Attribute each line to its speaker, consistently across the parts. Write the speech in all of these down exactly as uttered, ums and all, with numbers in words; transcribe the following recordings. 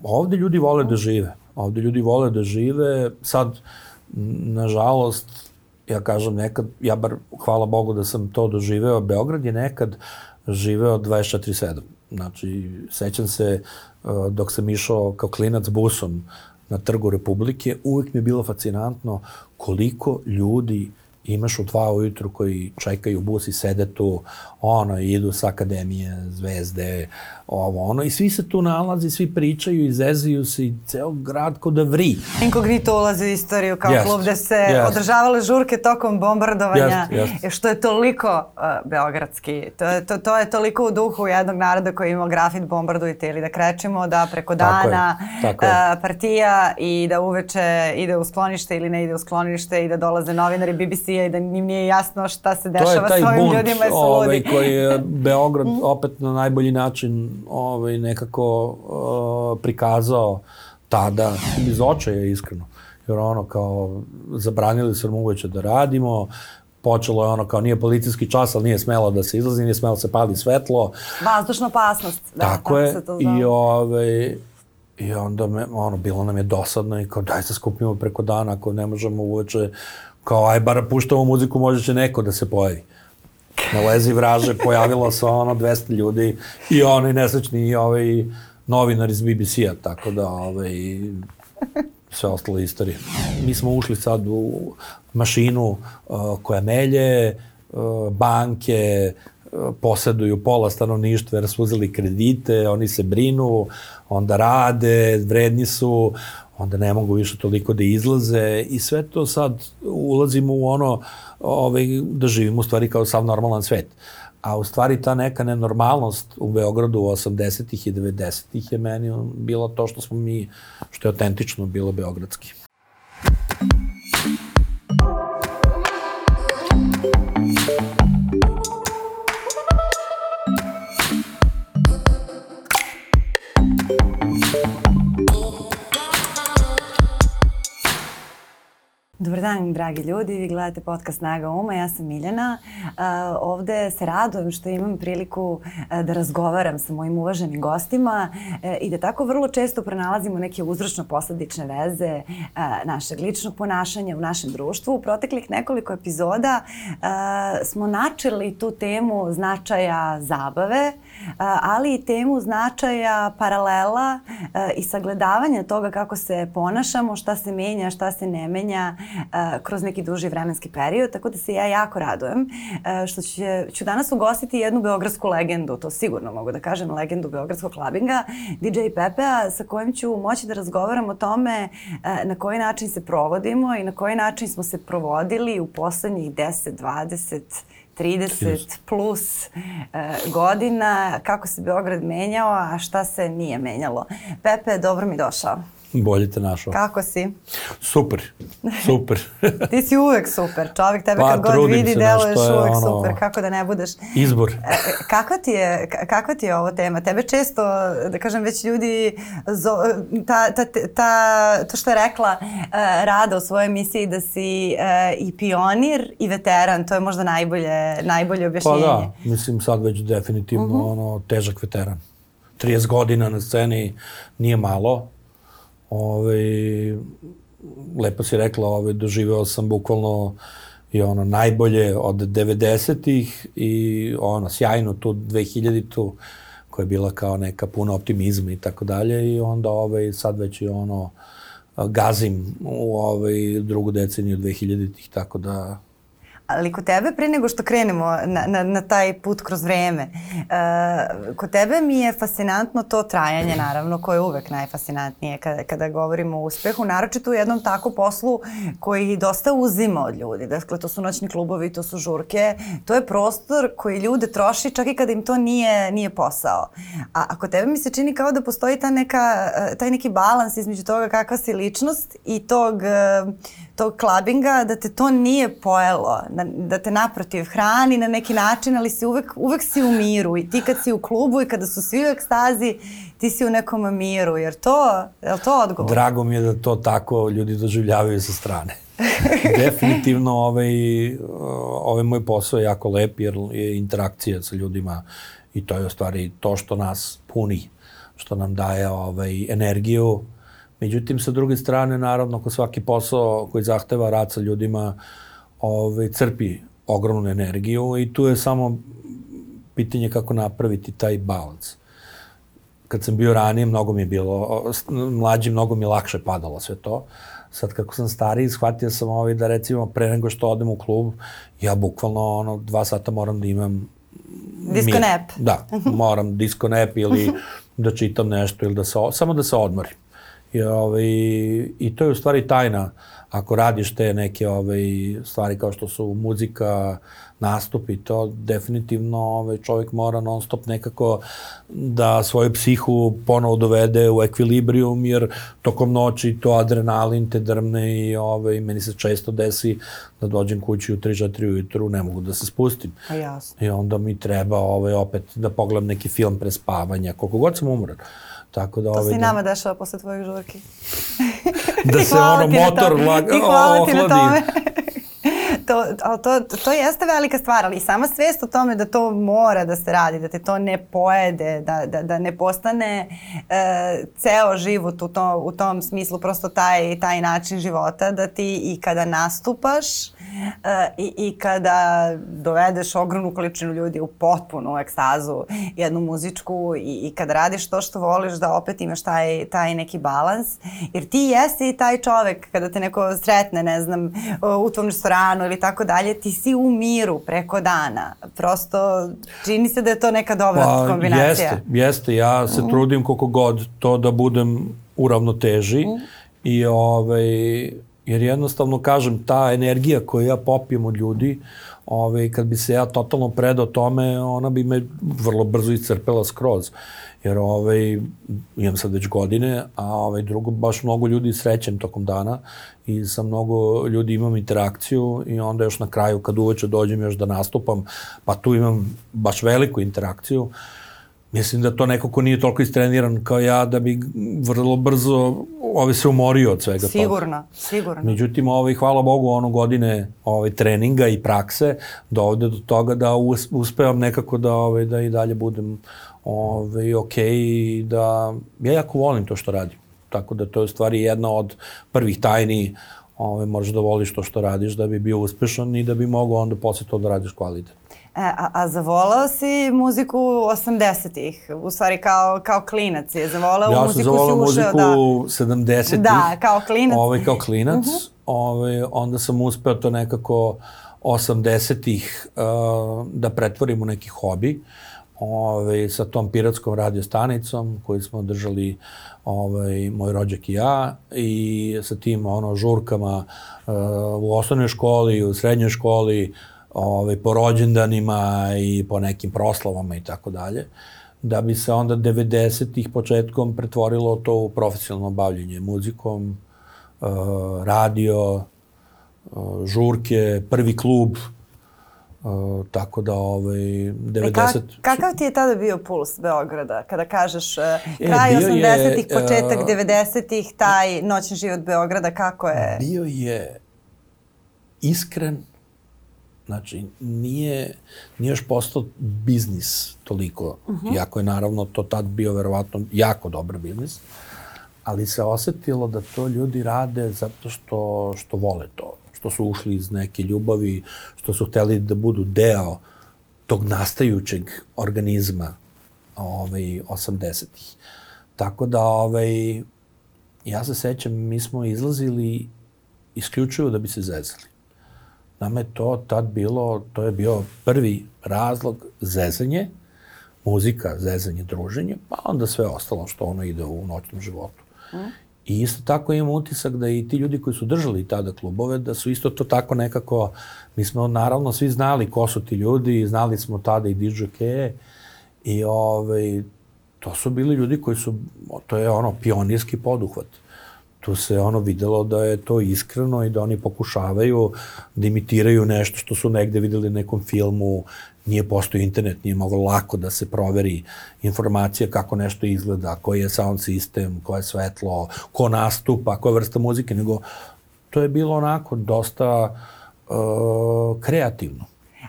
Speaker 1: ovde ljudi vole da žive. Ovde ljudi vole da žive. Sad, nažalost, ja kažem nekad, ja bar hvala Bogu da sam to doživeo, Beograd je nekad živeo dvadeset četiri sedam. Znači, sećam se dok sam išao kao klinac busom na Trgu Republike, uvijek mi je bilo fascinantno koliko ljudi imaš u dva ujutru koji čekaju bus i sede tu, ono, idu sa akademije, zvezde, ovo, ono, i svi se tu nalazi, svi pričaju, izezaju se i ceo grad ko da vri.
Speaker 2: Inkognito ulazi u istoriju kao
Speaker 1: yes.
Speaker 2: klub gde se
Speaker 1: yes.
Speaker 2: održavale žurke tokom bombardovanja,
Speaker 1: yes. Yes.
Speaker 2: što je toliko uh, beogradski. To je, to, to je toliko u duhu jednog naroda koji ima grafit bombardujte ili da krećemo da preko
Speaker 1: tako
Speaker 2: dana
Speaker 1: je, tako
Speaker 2: uh,
Speaker 1: je.
Speaker 2: partija i da uveče ide u sklonište ili ne ide u sklonište i da dolaze novinari B B C-a i da njim nije jasno šta se dešava s ovim ljudima i su
Speaker 1: ovaj,
Speaker 2: ludi.
Speaker 1: koji je Beograd opet na najbolji način ovaj, nekako uh, prikazao tada, iz očaja iskreno. Jer ono kao zabranili su nam uveče da radimo, počelo je ono kao nije policijski čas, ali nije smelo da se izlazi, nije smelo da se pali svetlo.
Speaker 2: Vazdušna opasnost. Da,
Speaker 1: tako, tako je.
Speaker 2: Se to
Speaker 1: I, ovaj, i onda me, ono, bilo nam je dosadno i kao daj se skupimo preko dana ako ne možemo uveče. Kao, aj, bar puštamo muziku, možda će neko da se pojavi. Na Lezi vraže pojavilo se ono dvesta ljudi i oni nesrećni i ovaj novinar iz B B C-a, tako da ovaj, sve ostalo istorije. Mi smo ušli sad u mašinu uh, koja melje, uh, banke uh, poseduju pola stanovništva jer su uzeli kredite, oni se brinu, onda rade, vredni su, onda ne mogu više toliko da izlaze i sve to sad ulazimo u ono ovaj, da živimo u stvari kao sav normalan svet. A u stvari ta neka nenormalnost u Beogradu u osamdesetih i devedesetih je meni bilo to što smo mi, što je autentično bilo beogradski.
Speaker 2: Dobar dan, dragi ljudi, vi gledate podcast Snaga uma, ja sam Miljana. Uh, ovde se radujem što imam priliku uh, da razgovaram sa mojim uvaženim gostima uh, i da tako vrlo često pronalazimo neke uzročno-posledične veze uh, našeg ličnog ponašanja u našem društvu. U proteklih nekoliko epizoda uh, smo načeli tu temu značaja zabave, uh, ali i temu značaja paralela uh, i sagledavanja toga kako se ponašamo, šta se menja, šta se ne menja Uh, kroz neki duži vremenski period, tako da se ja jako radujem uh, što će, ću danas ugostiti jednu beogradsku legendu, to sigurno mogu da kažem, legendu beogradskog klabinga, D J Pepea, sa kojim ću moći da razgovaram o tome uh, na koji način se provodimo i na koji način smo se provodili u poslednjih deset, dvadeset, trideset plus uh, godina, kako se Beograd menjao, a šta se nije menjalo. Pepe, dobro mi došao.
Speaker 1: Bolje te našao.
Speaker 2: Kako si?
Speaker 1: Super, super.
Speaker 2: Ti si uvek super. Čovjek tebe
Speaker 1: pa,
Speaker 2: kad god vidi deluješ uvek
Speaker 1: ono,
Speaker 2: super. Kako da ne budeš?
Speaker 1: Izbor.
Speaker 2: Kakva ti je, kakva ti je ovo tema? Tebe često, da kažem, već ljudi, zo, ta, ta, ta, to što je rekla uh, Rada u svojoj emisiji da si uh, i pionir i veteran, to je možda najbolje, najbolje objašnjenje.
Speaker 1: Pa da, mislim sad već definitivno uh-huh. ono, težak veteran. trideset godina na sceni nije malo. Ove, lepo si rekla, ove, doživeo sam bukvalno i ono najbolje od devedesetih i ono sjajno tu dvehiljaditu koja je bila kao neka puna optimizma i tako dalje i onda ove, sad već i ono gazim u ove, drugu deceniju dvehiljaditih, tako da...
Speaker 2: Ali kod tebe, pre nego što krenemo na, na, na taj put kroz vreme, uh, kod tebe mi je fascinantno to trajanje, naravno, koje je uvek najfascinantnije kada, kada govorimo o uspehu, naročito u jednom tako poslu koji dosta uzima od ljudi. Dakle, to su noćni klubovi, to su žurke, to je prostor koji ljude troši čak i kada im to nije, nije posao. A, a kod tebe mi se čini kao da postoji ta neka, taj neki balans između toga kakva si ličnost i tog... tog klabinga, da te to nije pojelo, da, da te naprotiv hrani na neki način, ali si uvek, uvek si u miru i ti kad si u klubu i kada su svi u ekstazi, ti si u nekom miru, jer to, je li to odgovor?
Speaker 1: Drago mi je da to tako ljudi doživljavaju sa strane. Definitivno ovaj, ovaj moj posao je jako lep jer je interakcija sa ljudima i to je u stvari to što nas puni. što nam daje ovaj, energiju. Međutim, sa druge strane, naravno, ko svaki posao koji zahteva rad sa ljudima, ovaj, crpi ogromnu energiju i tu je samo pitanje kako napraviti taj balans. Kad sam bio ranije, mnogo mi je bilo, mlađi, mnogo mi je lakše padalo sve to. Sad kako sam stariji, shvatio sam ovaj da recimo pre nego što odem u klub, ja bukvalno ono, dva sata moram da imam
Speaker 2: disco nap.
Speaker 1: Da, moram disco nap ili da čitam nešto ili da se, samo da se odmorim. I, ovaj, i to je u stvari tajna. Ako radiš te neke ovaj, stvari kao što su muzika, nastupi, to definitivno ovaj, čovjek mora non stop nekako da svoju psihu ponovo dovede u ekvilibrijum, jer tokom noći to adrenalin te drmne i ovaj, meni se često desi da dođem kući u tri četiri ujutru, ne mogu da se spustim.
Speaker 2: A jasno.
Speaker 1: I onda mi treba ovaj, opet da pogledam neki film pre spavanja, koliko god sam umoran. Tako da,
Speaker 2: to
Speaker 1: ovaj,
Speaker 2: se i nama dešava posle tvojih žurki.
Speaker 1: Da se ono motor ohladi.
Speaker 2: I hvala ti na tome. To, ali to, to jeste velika stvar, ali i sama svest o tome da to mora da se radi, da te to ne pojede, da, da, da ne postane e, ceo život u, to, u tom smislu, prosto taj, taj način života, da ti i kada nastupaš e, i, i kada dovedeš ogromnu količinu ljudi u potpunu ekstazu, jednu muzičku i, i kada radiš to što voliš, da opet imaš taj, taj neki balans, jer ti jesi i taj čovek kada te neko sretne, ne znam, u tvom restoranu ili tako dalje, ti si u miru preko dana. Prosto čini se da je to neka dobra
Speaker 1: pa,
Speaker 2: kombinacija.
Speaker 1: Jeste, jeste. Ja se mm. trudim koliko god to da budem u ravnoteži mm. i ovaj, jer jednostavno kažem, ta energija koju ja popijem od ljudi, ovaj, kad bi se ja totalno predao tome, ona bi me vrlo brzo iscrpela skroz. Jer ovaj, imam sad već godine, a ovaj, drugo, baš mnogo ljudi srećem tokom dana i sa mnogo ljudi imam interakciju i onda još na kraju kad uveče dođem još da nastupam, pa tu imam baš veliku interakciju. Mislim da to neko ko nije toliko istreniran kao ja, da bi vrlo brzo ovaj, se umorio od svega
Speaker 2: sigurno,
Speaker 1: toga.
Speaker 2: Sigurno, sigurno.
Speaker 1: Međutim, ovaj, hvala Bogu, ono godine ovaj, treninga i prakse dovode do toga da us, uspevam nekako da, ovaj, da i dalje budem Ove, ok, da ja jako volim to što radim. Tako da to je u stvari jedna od prvih tajni, ove, moraš da voliš to što radiš da bi bio uspešan i da bi mogao onda posle to da radiš kvalitet.
Speaker 2: E, a, a zavolao si muziku osamdesetih, u stvari kao, kao klinac je zavolao
Speaker 1: ja
Speaker 2: muziku, si
Speaker 1: ušao. Ja sam
Speaker 2: ušao,
Speaker 1: zavolao muziku sedamdesetih.
Speaker 2: Da, kao klinac.
Speaker 1: Ove, kao klinac.
Speaker 2: Uh-huh.
Speaker 1: Ove, onda sam uspeo to nekako osamdesetih uh, da pretvorim u neki hobi. Ove, sa tom piratskom radio stanicom koju smo držali ovaj, moj rođak i ja i sa tim ono, žurkama uh, u osnovnoj školi, u srednjoj školi, ovaj, po rođendanima i po nekim proslavama i tako dalje, da bi se onda devedesetih početkom pretvorilo to u profesionalno bavljenje muzikom, uh, radio, uh, žurke, prvi klub. Uh, tako da ovaj devedeset
Speaker 2: e, kak, kakav ti je tada bio puls Beograda kada kažeš uh, kraj osamdesetih, početak uh, devedesetih, taj noćni život Beograda, kako je?
Speaker 1: Bio je iskren, znači nije, nije još postao biznis toliko, uh-huh. iako je naravno to tad bio verovatno jako dobar biznis, ali se osetilo da to ljudi rade zato što, što vole to. Što su ušli iz neke ljubavi, što su hteli da budu deo tog nastajućeg organizma ovaj, osamdesetih. Tako da, ovaj, ja se sećam, mi smo izlazili isključivo da bi se zezali. Nama je to tad bilo, to je bio prvi razlog zezanje, muzika, zezanje, druženje, pa onda sve ostalo što ono ide u noćnom životu. Mm. I isto tako imam utisak da i ti ljudi koji su držali tada klubove, da su isto to tako nekako, mi smo naravno svi znali ko su ti ljudi, znali smo tada i didžokeje i ovaj, to su bili ljudi koji su, to je ono pionirski poduhvat. Tu se ono videlo da je to iskreno i da oni pokušavaju da imitiraju nešto što su negde videli na nekom filmu, nije postoji internet, nije moglo lako da se proveri informacija kako nešto izgleda, koji je sound sistem, koje je svetlo, ko nastupa, koja je vrsta muzike, nego to je bilo onako dosta uh, kreativno.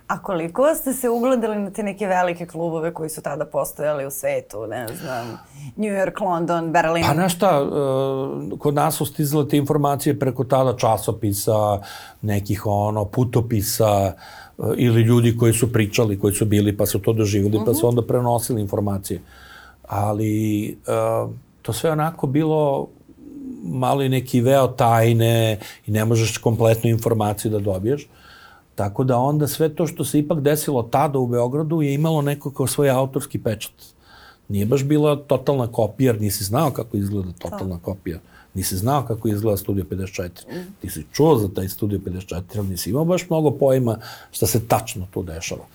Speaker 2: A koliko ste se ugledali na te neke velike klubove koji su tada postojali u svetu, ne znam, New York, London, Berlin?
Speaker 1: Pa znaš šta, uh, kod nas su stizale te informacije preko tada časopisa, nekih ono, putopisa, uh, ili ljudi koji su pričali, koji su bili pa su to doživjeli, uh-huh. pa su onda prenosili informacije. Ali uh, to sve onako bilo malo i neki veo tajne i ne možeš kompletnu informaciju da dobiješ. Tako da onda sve to što se ipak desilo tada u Beogradu je imalo neko kao svoj autorski pečat. Nije baš bila totalna kopija, jer nisi znao kako izgleda totalna kopija. Nisi znao kako izgleda Studio pedeset četiri. Mm. Ti si čuo za taj Studio pedeset četiri, ali nisi imao baš mnogo pojma šta se tačno tu dešava.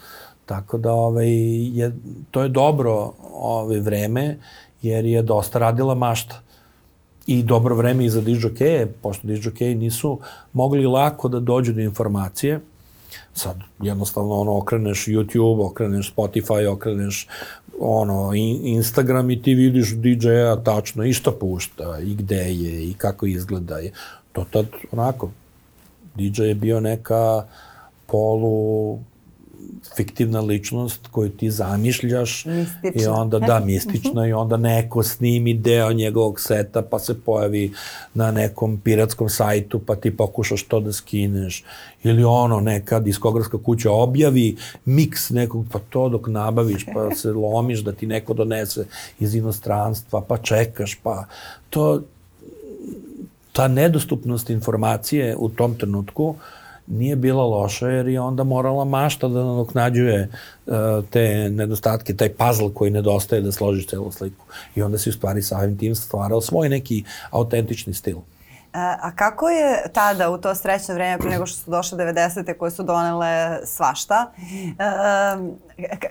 Speaker 1: Tako da ovaj, je, to je dobro ovaj, vreme, jer je dosta radila mašta. I dobro vreme i za dižokeje, pošto dižokeji nisu mogli lako da dođu do informacije. Sad jednostavno ono, okreneš YouTube, okreneš Spotify, okreneš ono, Instagram i ti vidiš D J-a tačno i šta pušta, i gde je, i kako izgleda. To tad onako, D J je bio neka polu fiktivna ličnost koju ti zamišljaš.
Speaker 2: Mistična.
Speaker 1: I onda, da, mistična, i onda neko snimi deo njegovog seta, pa se pojavi na nekom piratskom sajtu, pa ti pokušaš to da skineš. Ili ono, neka diskografska kuća objavi miks nekog, pa to dok nabaviš, pa se lomiš da ti neko donese iz inostranstva, pa čekaš, pa to, ta nedostupnost informacije u tom trenutku nije bila loša, jer je onda morala mašta da nadoknađuje uh, te nedostatke, taj puzzle koji nedostaje da složiš celu sliku. I onda si u stvari samim tim stvarao svoj neki autentični stil.
Speaker 2: A kako je tada, u to srećno vreme, pre nego što su došle devedesete koje su donele svašta,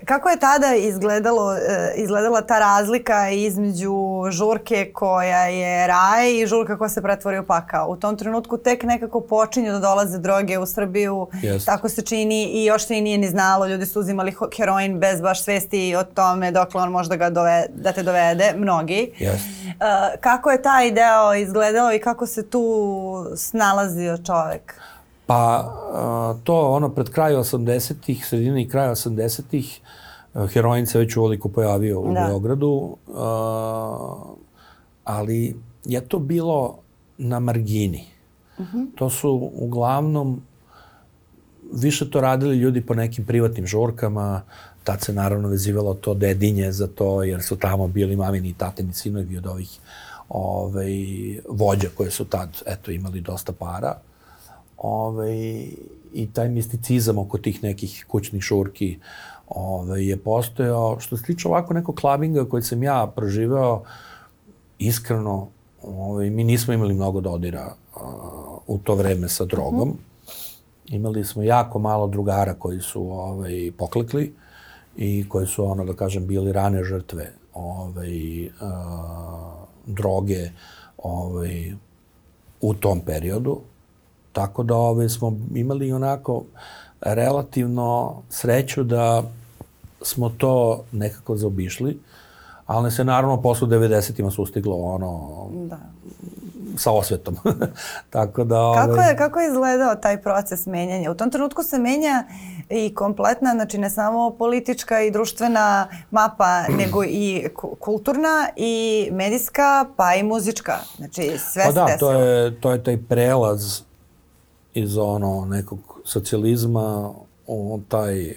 Speaker 2: kako je tada izgledalo, izgledala ta razlika između žurke koja je raj i žurka koja se pretvori u pakao? U tom trenutku tek nekako počinju da dolaze droge u Srbiju, yes. Tako se čini, i još se i nije ni znalo, ljudi su uzimali heroin bez baš svesti o tome dokle on može da, ga dovede, da te dovede, mnogi.
Speaker 1: Yes.
Speaker 2: Kako je taj deo izgledao i kako se tu snalazio čovek?
Speaker 1: Pa to ono pred kraju osamdesetih, sredine i kraja osamdesetih, heroin se već uveliko pojavio u da. Beogradu, ali je to bilo na margini. Uh-huh. To su uglavnom više to radili ljudi po nekim privatnim žurkama, tad se naravno vezivalo to dedinje za to, jer su tamo bili mamini i tatini sinovi od ovih ovaj, vođa koje su tad eto, imali dosta para. Ovaj, i taj misticizam oko tih nekih kućnih žurki ovaj, je postojao. Što se tiče ovako nekog klabinga koji sam ja proživeo, iskreno, ovaj, mi nismo imali mnogo dodira uh, u to vreme sa drogom. Uh-huh. Imali smo jako malo drugara koji su ovaj, poklekli i koji su, ono da kažem, bili rane žrtve ovaj, uh, droge ovaj, u tom periodu. Tako da ove, smo imali onako relativno sreću da smo to nekako zaobišli, ali se naravno posle devedesetima sustiglo ono da. Sa osvetom. Tako da, ove...
Speaker 2: kako, je, kako je izgledao taj proces menjanja? U tom trenutku se menja i kompletna, znači ne samo politička i društvena mapa, nego i kulturna i medijska, pa i muzička. Znači sve
Speaker 1: pa
Speaker 2: se
Speaker 1: da,
Speaker 2: desilo.
Speaker 1: To je, to je taj prelaz iz ono nekog socijalizma u taj,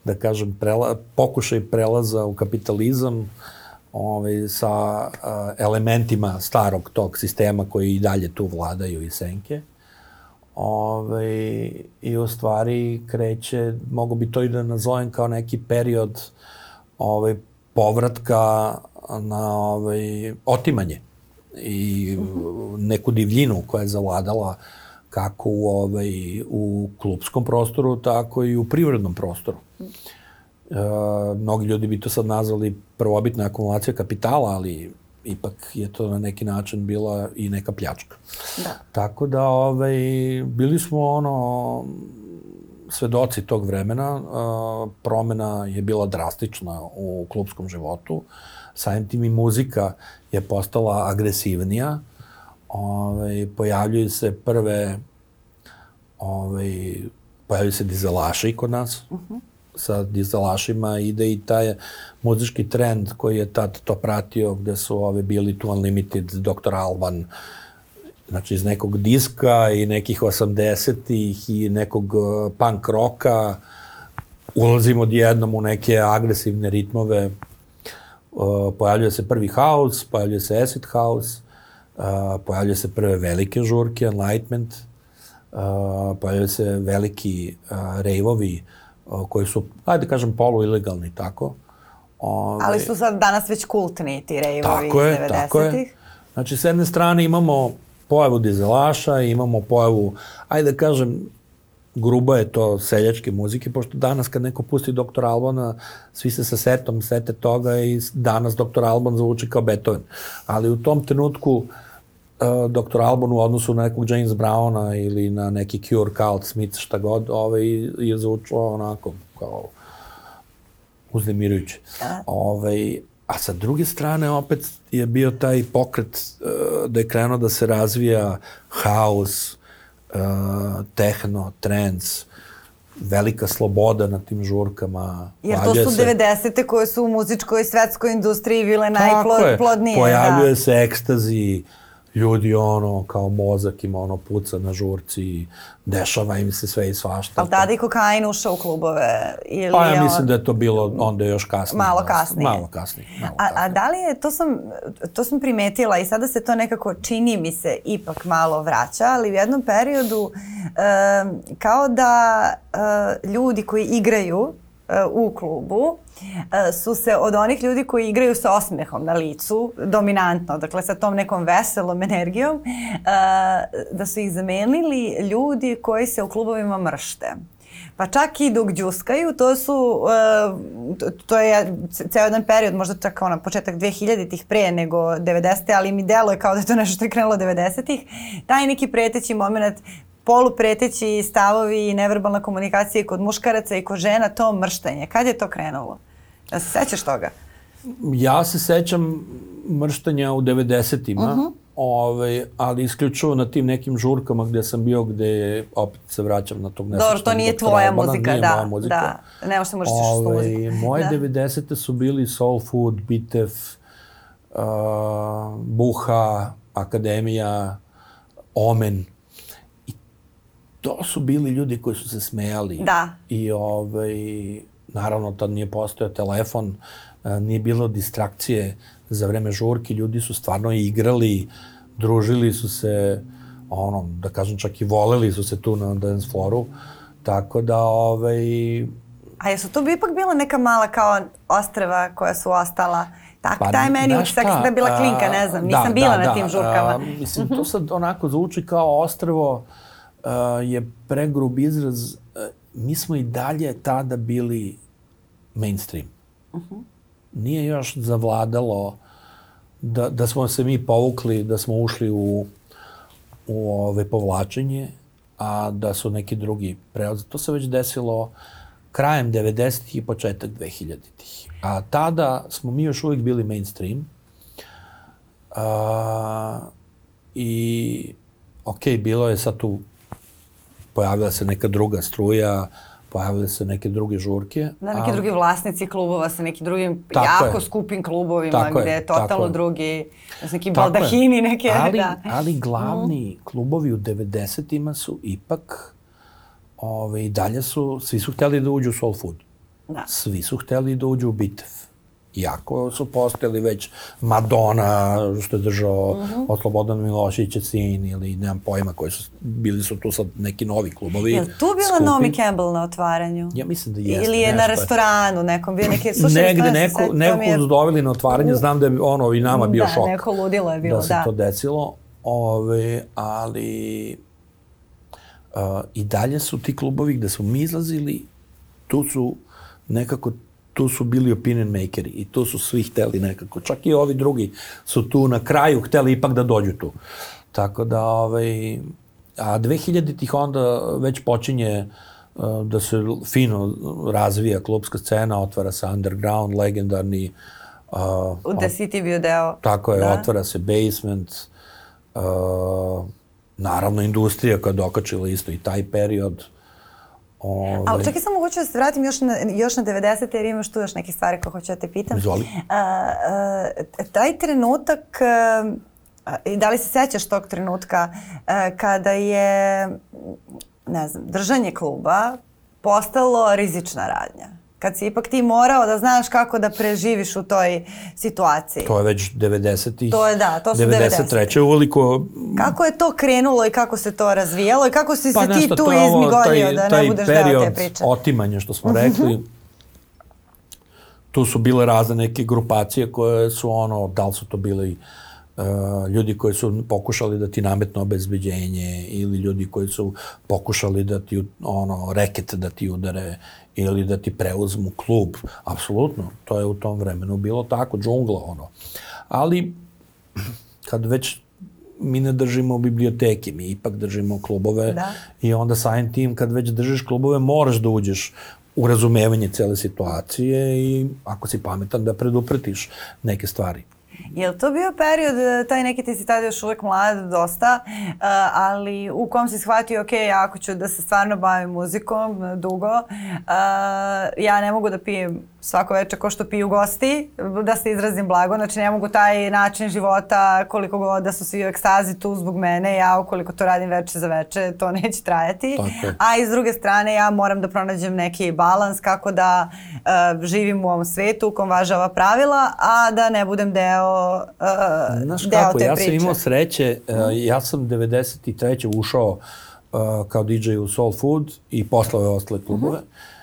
Speaker 1: da kažem, prela, pokušaj prelaza u kapitalizam ovaj, sa uh, elementima starog tog sistema koji i dalje tu vladaju i senke. Ovaj, I u stvari kreće, mogu bi to i da nazovem kao neki period ovaj, povratka na ovaj, otimanje i neku divljinu koja je zavladala kako u, ovaj, u klupskom prostoru, tako i u privrednom prostoru. E, mnogi ljudi bi to sad nazvali prvobitna akumulacija kapitala, ali ipak je to na neki način bila i neka pljačka. Da. Tako da ovaj, bili smo ono svedoci tog vremena. E, promena je bila drastična u klupskom životu. Samim tim i muzika je postala agresivnija. Ove, pojavljuju se prve ove, pojavili se dizelaši kod nas. Uh-huh. Sa dizelašima ide i taj muzički trend koji je tad to pratio, gde su ove bili tu Unlimited, doktor Alban, znači iz nekog diska i nekih osamdesetih i nekog punk roka. Ulazimo odjednom u neke agresivne ritmove. Uh, pojavljuje se prvi house, pojavljuje se acid house, uh, pojavljuje se prve velike žurke, Enlightenment, uh, pojavljuje se veliki uh, rave-ovi uh, koji su, ajde kažem, polu-ilegalni, tako. Ove,
Speaker 2: Ali su sad danas već kultni ti rave-ovi iz
Speaker 1: tako je,
Speaker 2: devedesetih.
Speaker 1: tako je. Znači, s jedne strane imamo pojavu dizelaša, imamo pojavu, ajde da kažem, grubo je to seljačke muzike, pošto danas kad neko pusti doktor Albana, svi se sa setom sete toga i danas doktor Alban zvuči kao Beethoven. Ali u tom trenutku uh, doktor Alban u odnosu na nekog James Browna ili na neki Cure, Cult, Smith, šta god, ovaj, je zvučao onako kao uznemirujuće. Ovaj, a sa druge strane opet je bio taj pokret uh, da je krenuo da se razvija house, Uh, tehno, trance, velika sloboda na tim žurkama.
Speaker 2: Jer to su devedesete koje su u muzičkoj i svetskoj industriji bile najplodnije.
Speaker 1: Pojavljuje da. se ekstazi, ljudi ono, kao mozak ima ono puca na žurci, dešava im se sve i svašta.
Speaker 2: Ali tada i kokain ušao u klubove? Ili
Speaker 1: pa ja mislim on... da je to bilo onda još kasnije.
Speaker 2: Malo kasnije.
Speaker 1: Malo kasnije. Malo
Speaker 2: a, a da li je, to sam, to sam primetila i sada se to nekako čini mi se ipak malo vraća, ali u jednom periodu e, kao da e, ljudi koji igraju e, u klubu su se od onih ljudi koji igraju sa osmehom na licu, dominantno, dakle sa tom nekom veselom energijom, da su ih zamenili ljudi koji se u klubovima mršte. Pa čak i dok đuskaju, to su, to je ceo jedan period, možda čak ono, početak dvehiljaditih pre nego devedesete, ali mi deluje kao da je to nešto što je krenulo devedesetih. Taj neki preteći moment, polupreteći stavovi i neverbalna komunikacija i kod muškaraca i kod žena, to mrštenje. Kad je to krenulo? Da se sećaš toga?
Speaker 1: Ja se sećam mrštenja u devedesetima, uh-huh. ovaj, ali isključivo na tim nekim žurkama gde sam bio, gde opet se vraćam na tog nesečnog.
Speaker 2: Dobro, to nije tvoja Albana, muzika,
Speaker 1: nije
Speaker 2: da.
Speaker 1: Moja muzika.
Speaker 2: Da, nemaš se možeš ovaj, što muziku.
Speaker 1: Moje devedesete su bili Soul Food, Bitev, uh, Buha, Akademija, Omen. To su bili ljudi koji su se smejali.
Speaker 2: Da.
Speaker 1: I ovaj, naravno tad nije postojao telefon, nije bilo distrakcije za vreme žurki, ljudi su stvarno igrali, družili su se, ono, da kažem čak i voleli su se tu na dance floru, tako da ovaj...
Speaker 2: A jesu to bi ipak bila neka mala kao ostrva koja su ostala? Tak, pa, taj meni utisak da je bila klinka, ne znam, nisam da, bila da, na tim žurkama.
Speaker 1: A, mislim, to sad onako zvuči kao ostrvo, Uh, je pregrub izraz, uh, mi smo i dalje tada bili mainstream. Uh-huh. Nije još zavladalo da, da smo se mi povukli, da smo ušli u, u ove povlačenje, a da su neki drugi prelazi. To se već desilo krajem devedesetih i početak dvehiljaditih. A tada smo mi još uvijek bili mainstream. Uh, I, ok, bilo je sad tu pojavila se neka druga struja, pojavile se neke druge žurke.
Speaker 2: Da, neki ali... drugi vlasnici klubova sa nekim drugim
Speaker 1: tako
Speaker 2: jako
Speaker 1: je.
Speaker 2: skupim klubovima
Speaker 1: tako
Speaker 2: gde je, je totalno
Speaker 1: je.
Speaker 2: drugi, s neki baldahini neke.
Speaker 1: Ali,
Speaker 2: da.
Speaker 1: ali glavni mm. klubovi u devedesetima su ipak, ove, i dalje su, svi su htjeli da uđu u Soul Food.
Speaker 2: Da.
Speaker 1: Svi su htjeli da uđu u Bitev. Iako su postojali već Madonna, što je držao mm-hmm. od Slobodana Miloševića sin, ili nemam pojma, koji su, bili su tu sad neki novi klubovi.
Speaker 2: Je li tu bila skupi. Naomi Campbell na otvaranju?
Speaker 1: Ja mislim da jeste.
Speaker 2: Ili je
Speaker 1: nešto.
Speaker 2: Na restoranu nekom bio neki... Slušaj,
Speaker 1: negde neko, se, neko je... su doveli na otvaranje, znam da je ono i nama bio
Speaker 2: da,
Speaker 1: šok.
Speaker 2: Da, neko ludilo je bilo,
Speaker 1: da. se
Speaker 2: da.
Speaker 1: to desilo, ove, ali uh, i dalje su ti klubovi gde smo mi izlazili, tu su nekako tu su bili opinion makeri i tu su svi hteli nekako. Čak i ovi drugi su tu na kraju hteli ipak da dođu tu. Tako da, ovaj, a dvehiljaditih onda već počinje uh, da se fino razvija klubska scena, otvara se underground, legendarni. Uh,
Speaker 2: U The City bio deo.
Speaker 1: Tako je,
Speaker 2: da.
Speaker 1: otvara se Basement. Uh, naravno, industrija koja je dokačila isto i taj period. Ove...
Speaker 2: A čekaj, samo hoću da se vratim još na, još na devedesete jer imaš tu još neke stvari koje hoću da te pitam.
Speaker 1: Izvoli.
Speaker 2: A, a, taj trenutak, a, da li se sećaš tog trenutka a, kada je, ne znam, držanje kluba postalo rizična radnja? Kad si ipak ti morao da znaš kako da preživiš u toj situaciji.
Speaker 1: To je već devedesetih.
Speaker 2: To je, da, to su
Speaker 1: devedeset treće uveliko.
Speaker 2: Kako je to krenulo i kako se to razvijalo i kako si
Speaker 1: pa
Speaker 2: se ti tu
Speaker 1: ovo,
Speaker 2: izmigolio
Speaker 1: taj,
Speaker 2: da
Speaker 1: taj
Speaker 2: ne budeš deo te priče?
Speaker 1: Taj period otimanja što smo rekli, tu su bile razne neke grupacije koje su ono, da li su to bili uh, ljudi koji su pokušali da ti nametnu obezbeđenje ili ljudi koji su pokušali da ti ono, reket da ti udare ili da ti preuzmu klub. Apsolutno, to je u tom vremenu bilo tako, džungla ono. Ali, kad već mi ne držimo biblioteke, mi ipak držimo klubove
Speaker 2: da.
Speaker 1: I onda samim tim kad već držiš klubove moraš da uđeš u razumevanje cele situacije i ako si pametan da predupretiš neke stvari.
Speaker 2: Je li to bio period, taj neki ti si tada još uvek mlad dosta, ali u kom si shvatio, ok, ako ću da se stvarno bavim muzikom dugo, ja ne mogu da pijem svako večer ko što piju gosti, da se izrazim blago, znači ne mogu taj način života koliko god da su svi u ekstazi tu zbog mene, ja ukoliko to radim večer za večer, to neće trajati. A i s druge strane ja moram da pronađem neki balans kako da uh, živim u ovom svetu u kom važe ova pravila, a da ne budem deo, uh,
Speaker 1: Znaš
Speaker 2: deo
Speaker 1: kako,
Speaker 2: te
Speaker 1: ja
Speaker 2: priče.
Speaker 1: sam imao sreće, uh, ja sam devedeset treće ušao uh, kao D J u Soul Food i posle ove ostale klubove. Uh-huh.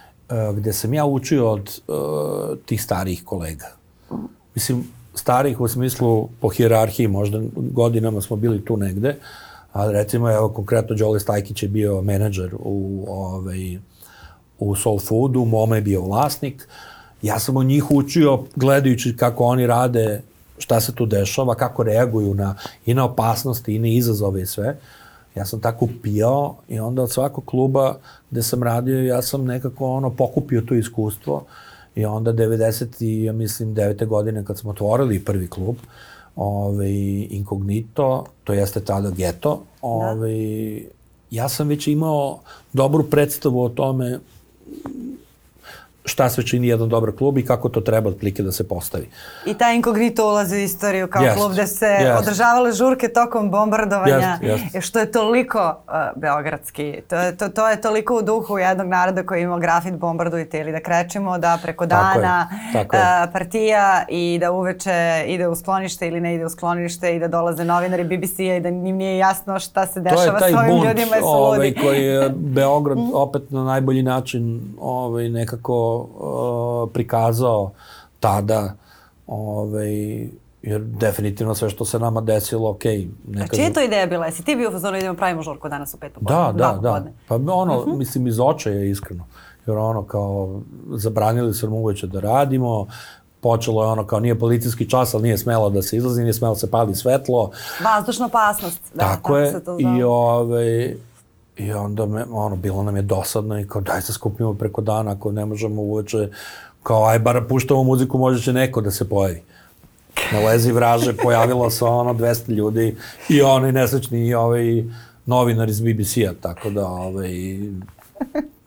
Speaker 1: gde sam ja učio od uh, tih starijih kolega. Mislim, starih u smislu po hijerarhiji, možda godinama smo bili tu negde, ali recimo, evo, konkretno Đole Stajkić je bio menadžer u, ovaj, u Soul Foodu, Moma je bio vlasnik. Ja sam od njih učio gledajući kako oni rade, šta se tu dešava, kako reaguju na, i na opasnosti i na izazove i sve. Ja sam tako upijao i onda od svakog kluba gde sam radio, ja sam nekako ono pokupio to iskustvo i onda devedeset i ja mislim devete godine kad smo otvorili prvi klub, ovaj, Inkognito, to jeste tada Geto, ovaj, ja sam već imao dobru predstavu o tome šta sve čini jedan dobar klub i kako to treba otprilike da se postavi.
Speaker 2: I taj Inkognito ulazi u istoriju kao yes. klub gde se yes. održavale žurke tokom bombardovanja, yes. Yes. što je toliko uh, beogradski. To je, to, to je toliko u duhu jednog naroda koji ima grafit bombardujte ili da krećemo da preko dana
Speaker 1: tako je, tako
Speaker 2: uh, partija i da uveče ide u sklonište ili ne ide u sklonište i da dolaze novinari B B C-a i da njim nije jasno šta se dešava s ovim
Speaker 1: bunt,
Speaker 2: ljudima i su
Speaker 1: ovaj,
Speaker 2: ludi.
Speaker 1: koji je Beograd opet na najbolji način ovaj, nekako Uh, prikazao tada, ovaj, jer definitivno sve što se nama desilo, okej. Okay,
Speaker 2: A čija je to ideja bila? Jesi ti bio u fazonu idemo pravimo žurku danas u pet popodne?
Speaker 1: Da, da, da. Pa ono, uh-huh. mislim, iz očaja iskreno. Jer ono, kao, zabranili su nam uveče da radimo, počelo je ono kao nije policijski čas, ali nije smelo da se izlazi, nije smelo da se pali svetlo.
Speaker 2: Vazdušna opasnost. Da,
Speaker 1: tako, tako je.
Speaker 2: Se to
Speaker 1: I ovaj... I onda me, ono, bilo nam je dosadno i kao daj se skupimo preko dana ako ne možemo uveče, kao aj bar puštamo muziku, možda će neko da se pojavi. Na lezi vraže pojavilo se ono dvesta ljudi i oni nesrećni i ovaj novinar iz B B C-a, tako da ovaj,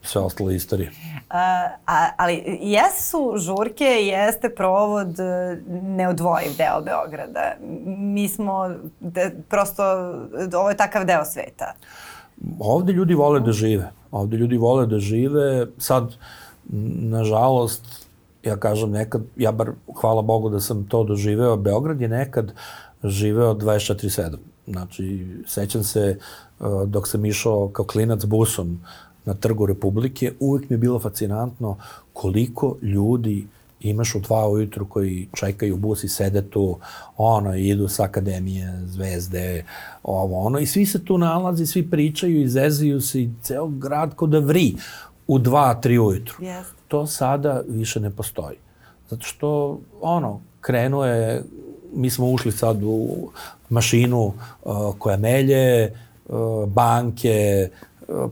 Speaker 1: sve ostalo istorije.
Speaker 2: Uh, a, ali jesu žurke, jeste provod neodvojiv deo Beograda. Mi smo, de, prosto, ovo je takav deo sveta.
Speaker 1: Ovde ljudi vole da žive. Ovde ljudi vole da žive. Sad, nažalost, ja kažem nekad, ja bar hvala Bogu da sam to doživeo, Beograd je nekad živeo dvadeset četiri sedam. Znači, sećam se dok sam išao kao klinac busom na Trgu Republike, uvek mi je bilo fascinantno koliko ljudi imaš u dva ujutru koji čekaju bus i sede tu, ono, idu s akademije, zvezde, ovo, ono, i svi se tu nalazi, svi pričaju, izezaju se i ceo grad ko da vri u dva, tri ujutru.
Speaker 2: Yes.
Speaker 1: To sada više ne postoji. Zato što, ono, krenuo je, mi smo ušli sad u mašinu uh, koja melje, uh, banke,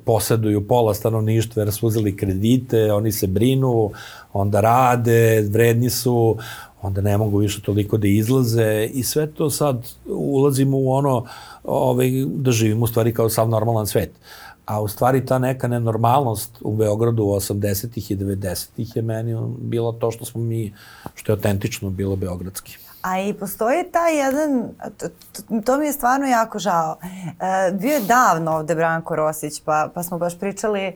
Speaker 1: poseduju pola stanovništva jer su uzeli kredite, oni se brinu, onda rade, vredni su, onda ne mogu više toliko da izlaze i sve to sad ulazimo u ono ovaj, da živimo u stvari kao sav normalan svet. A u stvari ta neka nenormalnost u Beogradu u osamdesetih i devedesetih je meni bilo to što smo mi, što je autentično bilo beogradski.
Speaker 2: A i postoji taj jedan, to, to, to mi je stvarno jako žao. E, bio je davno ovde Branko Rosić, pa, pa smo baš pričali, e,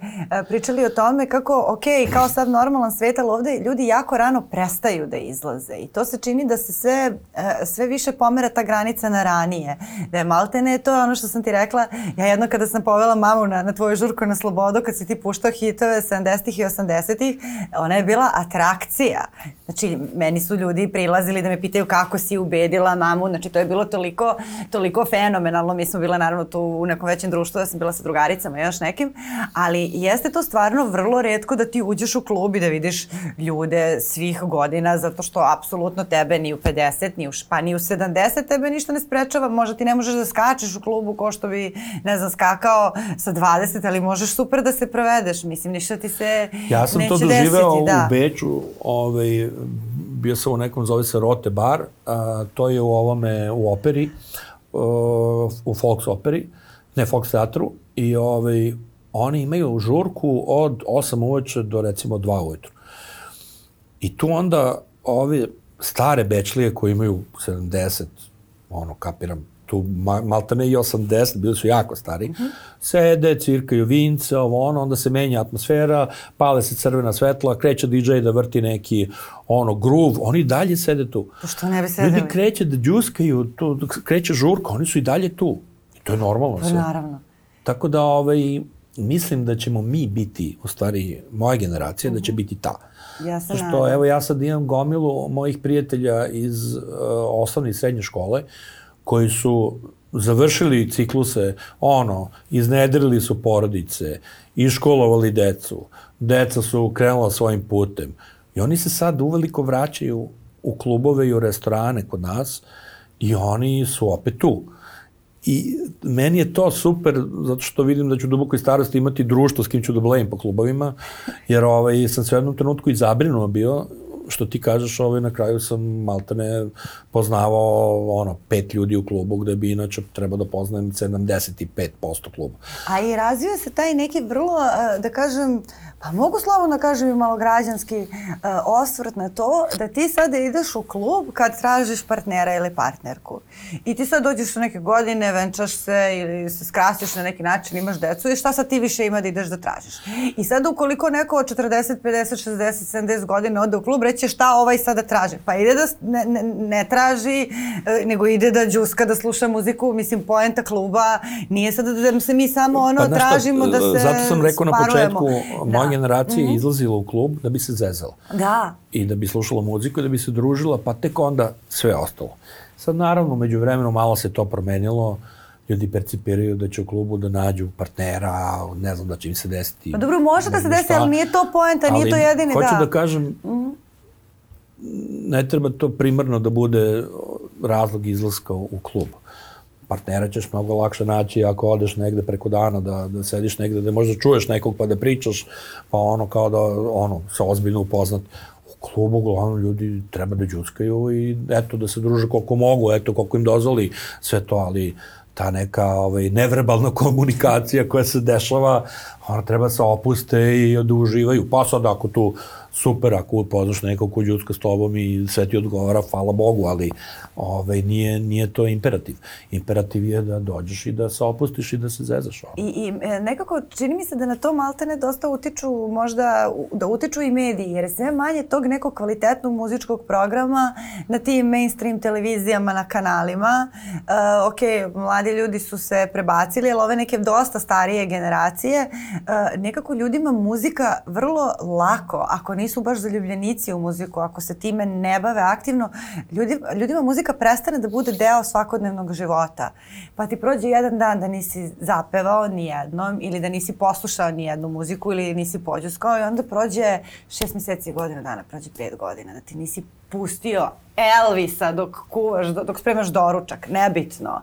Speaker 2: pričali o tome kako, ok, kao sad normalan svet, ali ovde ljudi jako rano prestaju da izlaze. I to se čini da se sve, e, sve više pomera ta granica na ranije. Da je maltene to ono što sam ti rekla. Ja jedno kada sam povela mamu na, na tvoju žurku na Slobodu, kad si ti puštao hitove sedamdesetih i osamdesetih, ona je bila atrakcija. Znači, meni su ljudi prilazili da me pitaju kako si ubedila mamu, znači to je bilo toliko, toliko fenomenalno. Mi smo bile naravno tu u nekom većem društvu, ja sam bila sa drugaricama i još nekim, ali jeste to stvarno vrlo retko da ti uđeš u klub i da vidiš ljude svih godina, zato što apsolutno tebe ni u pedeset, ni u, pa ni u sedamdeset tebe ništa ne sprečava, možda ti ne možeš da skačeš u klubu ko što bi, ne znam, skakao sa dvadeset, ali možeš super da se provedeš, mislim, ništa ti se neće desiti.
Speaker 1: Ja sam to doživeo da. u Beču, ovaj, bio sam u nekom, zove se Rote bar, a, to je u ovome, u operi, uh, u Volks operi, ne Volks teatru, i ovaj, oni imaju žurku od osam uveče do recimo dva ujutru. I tu onda ove stare bečlije koji imaju sedamdeset, ono, kapiram, tu maltene i osamdeset, bili su jako stari, mm-hmm. sede, cirkaju vince, ovo ono, onda se menja atmosfera, pale se crvena svetla, kreće di džej da vrti neki ono groove, oni dalje sede tu.
Speaker 2: To što ne bi sedeli?
Speaker 1: Ljudi kreće da džuskaju, tu, kreće žurka, oni su i dalje tu. I to je normalno sve.
Speaker 2: Naravno.
Speaker 1: Tako da ovaj, mislim da ćemo mi biti, u stvari moja generacija, mm-hmm. da će biti ta.
Speaker 2: Ja se
Speaker 1: što, nadam. Evo ja sad imam gomilu mojih prijatelja iz uh, osnovne i srednje škole, koji su završili cikluse, ono, iznedrili su porodice, iškolovali decu, deca su krenula svojim putem. I oni se sad uveliko vraćaju u klubove i u restorane kod nas i oni su opet tu. I meni je to super, zato što vidim da ću u dubokoj starosti imati društvo s kim ću da blejim po klubovima, jer ovaj, sam se u jednom trenutku i zabrinuo bio, što ti kažeš, ovaj, na kraju sam maltene poznavao ono, pet ljudi u klubu, gde bi inače trebao da poznajem sedamdeset pet posto kluba.
Speaker 2: A i razvio se taj neki vrlo, da kažem, pa mogu slobodno kažem i malo građanski uh, osvrt na to da ti sada ideš u klub kad tražiš partnera ili partnerku. I ti sad dođeš u neke godine, venčaš se ili se skrasiš na neki način, imaš decu i šta sad ti više ima da ideš da tražiš. I sad ukoliko neko od četrdeset, pedeset, šezdeset, sedamdeset godina ode u klub, reće šta ovaj sada traži. Pa ide da ne, ne, ne traži, nego ide da džuska, da sluša muziku. Mislim, poenta kluba nije sada da se mi samo ono pa, tražimo da se sparujemo.
Speaker 1: Zato sam rekao na početku, moja generacija je izlazila u klub da bi se zezala.
Speaker 2: Da.
Speaker 1: I da bi slušala muziku, da bi se družila, pa tek onda sve ostalo. Sad naravno, među vremenu malo se to promenilo. Ljudi percipiraju da će u klubu da nađu partnera, ne znam da će im se desiti.
Speaker 2: Pa dobro, može da se desi, ali nije to poenta, nije to jedini, da.
Speaker 1: Hoću da kažem, mm-hmm. ne treba to primarno da bude razlog izlaska u klub. Partnera ćeš mnogo lakše naći ako odeš negde preko dana, da, da sediš negde, da možda čuješ nekog pa da pričaš, pa ono kao da ono, se ozbiljno upoznat. U klubu uglavnom ljudi treba da džuskaju i eto da se druže koliko mogu, eto koliko im dozvoli sve to, ali ta neka ovaj, neverbalna komunikacija koja se dešava, ona treba se opuste i da uživaju. Pa sad ako tu super, ako upoznaš nekog ko džuska s tobom i sve ti odgovara, hvala Bogu, ali ovaj, nije, nije to imperativ. Imperativ je da dođeš i da se opustiš i da se zezaš.
Speaker 2: I, i nekako čini mi se da na to maltene dosta utiču, možda da utiču i mediji, jer je sve manje tog nekog kvalitetnog muzičkog programa na tim mainstream televizijama, na kanalima. Uh, ok, mladi ljudi su se prebacili, ali ove neke dosta starije generacije, uh, nekako ljudima muzika vrlo lako, ako nisu baš zaljubljenici u muziku, ako se time ne bave aktivno, ljudi, ljudima muzika prestane da bude deo svakodnevnog života. Pa ti prođe jedan dan da nisi zapevao ni jednom ili da nisi poslušao ni jednu muziku ili nisi pođuskao i onda prođe šest meseci, godinu dana, prođe pet godina da ti nisi pustio Elvisa dok kuvaš, dok spremaš doručak, nebitno.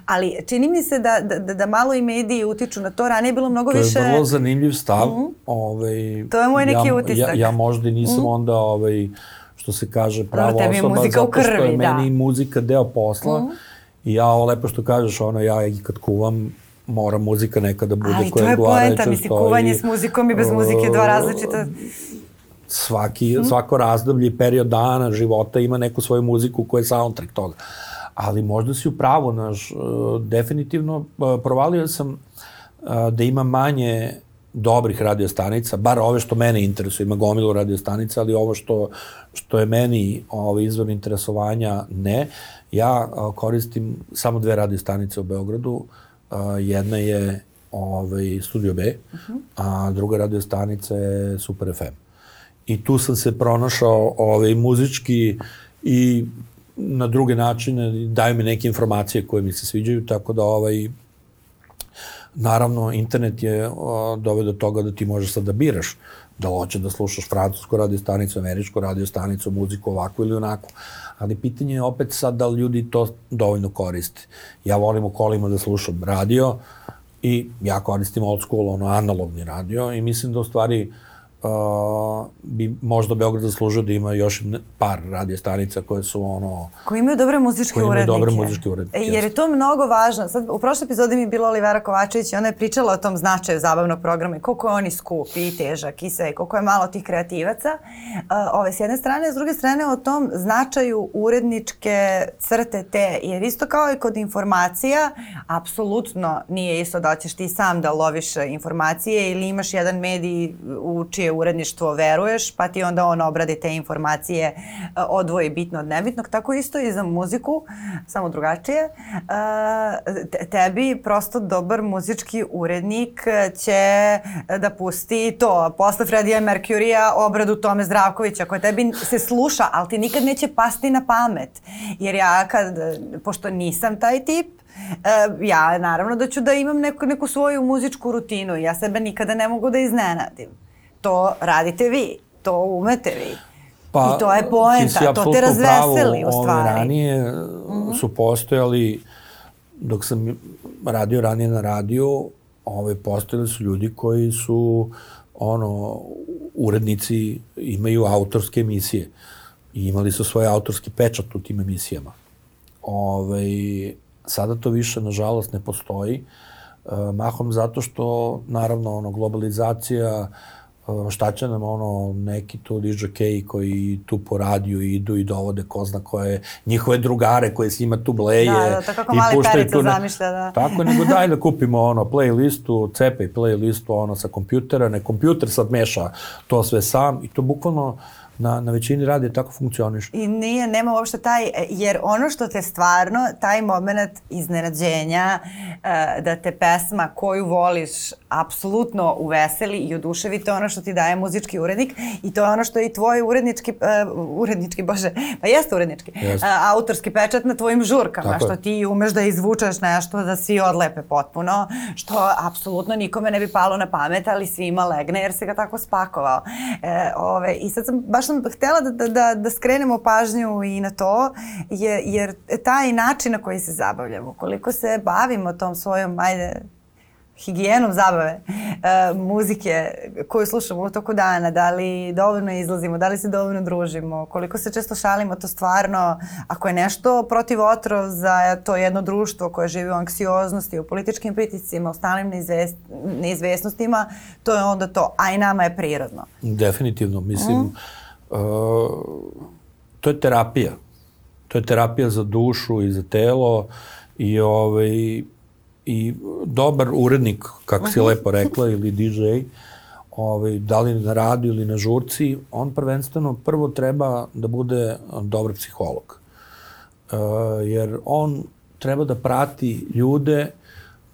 Speaker 2: Ali čini mi se da, da, da malo i mediji utiču na to. Ranije je bilo mnogo
Speaker 1: to
Speaker 2: više...
Speaker 1: To je vrlo zanimljiv stav. Mm-hmm. Ovaj,
Speaker 2: to je moj neki
Speaker 1: ja,
Speaker 2: utisak.
Speaker 1: Ja, ja možda nisam mm-hmm. onda, ovaj, što se kaže, prava
Speaker 2: osoba, zato
Speaker 1: što je
Speaker 2: da.
Speaker 1: meni muzika deo posla. Mm-hmm. I ja, ovo lepo što kažeš, ono, ja i kad kuvam, mora muzika nekada bude
Speaker 2: ali
Speaker 1: koja
Speaker 2: to je
Speaker 1: odgovarajuća
Speaker 2: poenta, misli, kuvanje s muzikom i bez muzike dva različita...
Speaker 1: Svaki, hmm. Svako razdoblje i period dana, života ima neku svoju muziku koja je soundtrack toga. Ali možda si u pravu, naš, definitivno provalio sam da ima manje dobrih radiostanica, bar ove što mene interesuje, ima gomilu radiostanica, ali ovo što, što je meni ovaj, izvor interesovanja, ne. Ja koristim samo dve radiostanice u Beogradu. Jedna je ovaj, Studio B, uh-huh. a druga radiostanica je Super F M. I tu sam se pronašao ovaj, muzički i na druge načine, daju mi neke informacije koje mi se sviđaju, tako da ovaj, naravno, internet je doveo do toga da ti možeš sad da biraš da hoće da slušaš francusku radiostanicu, američku radiostanicu, muziku ovako ili onako. Ali pitanje je opet sad da li ljudi to dovoljno koriste. Ja volim u kolima da slušam radio i ja koristim old school, ono, analogni radio i mislim da u stvari Uh, bi možda Beograd zaslužio da ima još par radiostanica koje su ono...
Speaker 2: Koji imaju dobre muzičke urednike. Koji imaju
Speaker 1: dobre muzičke urednike.
Speaker 2: Jer je to mnogo važno. Sad, u prošloj epizodi mi je bila Olivera Kovačević i ona je pričala o tom značaju zabavnog programa i koliko je on i skup i težak i sve, koliko je malo tih kreativaca. Uh, ove, s jedne strane, s druge strane o tom značaju uredničke crte te. Jer isto kao i kod informacija, apsolutno nije isto da ćeš ti sam da loviš informacije ili imaš jedan medij u čije uredništvo veruješ, pa ti onda on obradi te informacije, odvoji bitno od nebitnog. Tako isto i za muziku, samo drugačije. Tebi prosto dobar muzički urednik će da pusti to, posle Freddija Mercurya obradu Tome Zdravkovića, koja tebi se sluša, ali ti nikad neće pasti na pamet. Jer ja, kad, pošto nisam taj tip, ja naravno da ću da imam neku, neku svoju muzičku rutinu. Ja sebe nikada ne mogu da iznenadim. To radite vi, to umete vi.
Speaker 1: Pa,
Speaker 2: i to je poenta, to te razveseli u stvari.
Speaker 1: Ove ranije mm-hmm. su postojali, dok sam radio ranije na radiju, ove, postojali su ljudi koji su ono, urednici, imaju autorske emisije i imali su svoj autorski pečat u tim emisijama. Ove, sada to više, nažalost, ne postoji. E, mahom zato što, naravno, ono, globalizacija, šta će nam ono neki tu dižokeji koji tu po radiju idu i dovode ko zna koje njihove drugare koje s njima tu bleje.
Speaker 2: Da, da, to kako mali Perica zamišlja, da.
Speaker 1: Tako, nego daj da kupimo ono playlistu, cepaj playlistu ono sa kompjutera, ne kompjuter sad meša to sve sam i to bukvalno na, na većini radija tako funkcioniš.
Speaker 2: I nije, nema uopšte taj, jer ono što te stvarno, taj moment iznenađenja, da te pesma koju voliš apsolutno uveseli i oduševi, to je ono što ti daje muzički urednik i to je ono što je i tvoj urednički, uh, urednički, bože, pa jeste urednički, jeste. Uh, autorski pečat na tvojim žurkama, tako što je. Ti umeš da izvučeš nešto da svi odlepe potpuno, što apsolutno nikome ne bi palo na pamet, ali svima legne jer se ga tako spakovao. E, ove, I sad sam, baš sam htjela da, da, da skrenemo pažnju i na to, jer, jer taj način na koji se zabavljamo, koliko se bavimo tom svojom, ajde, higijenom zabave, e, muzike koju slušamo u toku dana, da li dovoljno izlazimo, da li se dovoljno družimo, koliko se često šalimo, to stvarno, ako je nešto protiv otrov za to jedno društvo koje živi u anksioznosti, u političkim pritiscima, u stalnim neizvest, neizvesnostima, to je onda to, a i nama je prirodno.
Speaker 1: Definitivno, mislim, mm. uh, to je terapija. To je terapija za dušu i za telo i ovaj, i dobar urednik, kako si lepo rekla, ili di džej, ovaj, da li na radiju ili na žurci, on prvenstveno prvo treba da bude dobar psiholog. Uh, jer on treba da prati ljude,